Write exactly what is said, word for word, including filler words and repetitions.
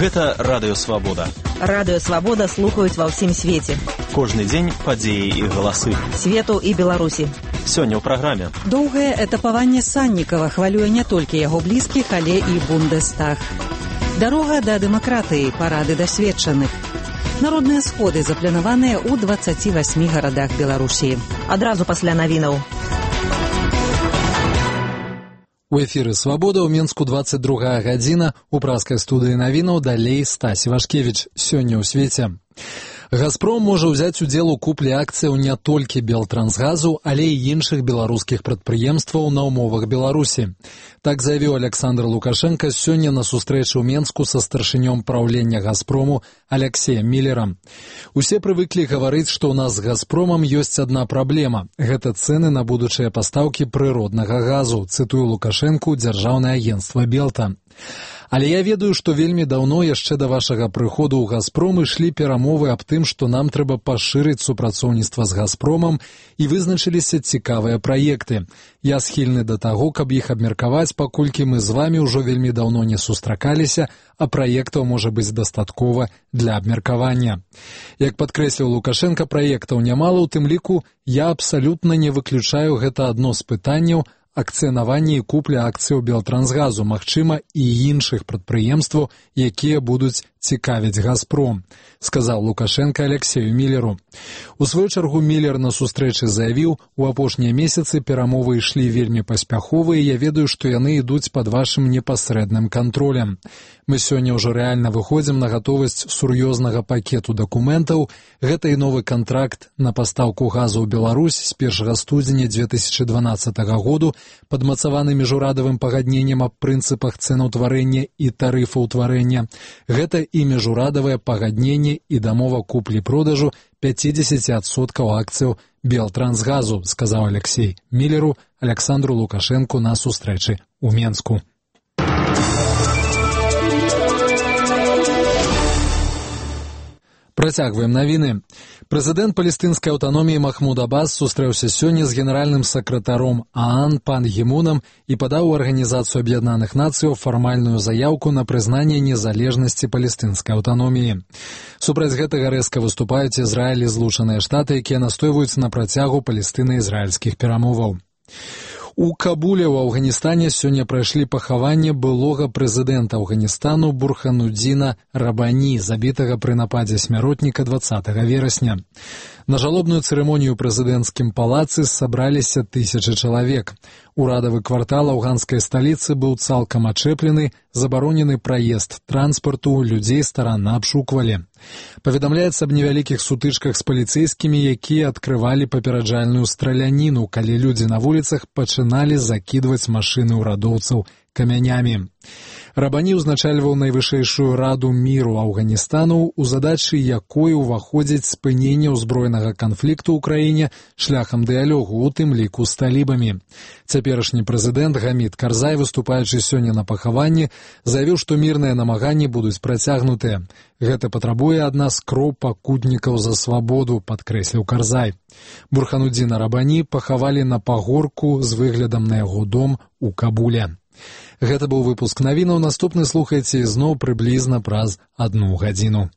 Гэта Радыё Свабода. Радыё Свабода слухаюць ва ўсім свеце. Кожны дзень падзеі і галасы. Свету і Беларусі. Сёння ў праграме. Доўгае этапаванне Саннікава хвалюе не толькі яго блізкіх, але і Бундестаг. Дарога да дэмакратыі, парады дасведчаных. Народныя сходы запланаваныя ў дваццаці васьмі гарадах Беларусі. Адразу пасля навінаў. У эфіры «Свабода» ў Менску дваццаць другая гадзіна. У праскай студыі навінаў далей Стась Івашкевіч. Сёння ў свеце. «Газпром» можа ўзяць удзел у куплі акцыяў не толькі Белтрансгазу, але і іншых беларускіх прадпрыемстваў на ўмовах Беларусі. Так заявіў Александр Лукашенко сёння на сустрэчы ў Менску са старшынём праўлення «Газпрому» Алексеем Міллерам. Усе прывыклі гаварыць, што ў нас з «Газпромам» ёсць адна праблема. Гэта цэны на будучыя пастаўкі прыроднага газу, цытую Лукашэнку дзяржаўнае агенцтва «Белта». Але я ведаю, што вельмі даўно яшчэ да вашага прыходу ў «Газпром» ішлі перамовы аб тым, што нам трэба пашырыць супрацоўніцтва з «Газпромам» і вызначыліся цікавыя праекты. Я схільны да таго, каб іх абмеркаваць, паколькі мы з вамі ўжо вельмі даўно не сустракаліся, а праектаў можа быць дастаткова для абмеркавання. Як падкрэсліў Лукашенко, праектаў нямала, у тым ліку я абсалютна не выключаю гэта адно з пытанняў акцыянаванне і купля акцыяў Белтрансгазу, магчыма, і іншых прадпрыемстваў, якія будуць цікавіць «Газпром», сказаў Лукашенко Алексею Міллеру. У сваю чаргу Міллер на сустрэчы заявіў, у апошнія месяцы перамовы ішлі вельмі паспяхова, і я ведаю, што яны ідуць пад вашым непасрэдным кантролем. Мы сёння ўжо рэальна выходзім на гатовасць сур'ёзнага пакету дакументаў. Гэта і новы кантракт на пастаўку газу ў Беларусь з першага студзеня дзве тысячы дванаццатага году, падмацаваны міжурадавым пагадненнем аб прынцыпах цэнаўтварэння і тарыфаўтварэння. Гэта і міжурадавае пагадненне і дамова куплі-продажу пяцьдзесят адсоткаў акцыяў Белтрансгазу, сказаў Алексей Міллеру Александру Лукашэнку на сустрэчы ў Менску. Працягваем навіны. Прэзідэнт палестынскай аўтаноміі Махмуд Аббас сустрэўся сёння з генеральным сакратаром ААН Пан Гі Мунам і падаў у Арганізацыю Аб'яднаных Нацыяў фармальную заяўку на прызнанне незалежнасці палестынскай аўтаноміі. Супраць гэтага рэзка выступаюць Ізраіль і Злучаныя Штаты, якія настойваюць на працягу палестына-ізраільскіх перамоваў. У Кабуле ў Афганістане сёння прайшлі пахаванне былога прэзідэнта Афганістану Бурханудзіна Рабані, забітага пры нападзе смяротніка дваццатага верасня. На жалобную цырымонію ў прэзідэнцкім палацы сабраліся тысячы чалавек. Урадавы квартал афганскай сталіцы быў цалкам ачэплены, забаронены праезд транспарту, людзей старанна абшуквалі. Паведамляецца аб невялікіх сутычках з паліцэйскімі, якія адкрывалі папераджальную страляніну, калі людзі на вуліцах пачыналі закідваць машыны ўрадоўцаў камянямі. Рабані ўзначальваў найвышэйшую раду міру Афганістану, у задачы якой уваходзіць спыненне ўзброенага канфлікту ў краіне шляхам дыялогу, у тым ліку з талібамі. Цяперашні прэзідэнт Гамід Карзай, выступаючы сёння на пахаванні, заявіў, што мірныя намаганні будуць працягнутыя. Гэта патрабуе ад нас кроў пакутнікаў за свабоду, падкрэсліў Карзай. Бурханудзіна Рабані пахавалі на пагорку з выглядам на яго дом у Кабуле. Гэта быў выпуск навінаў. Наступны слухайце ізноў прыблізна праз адну гадзіну.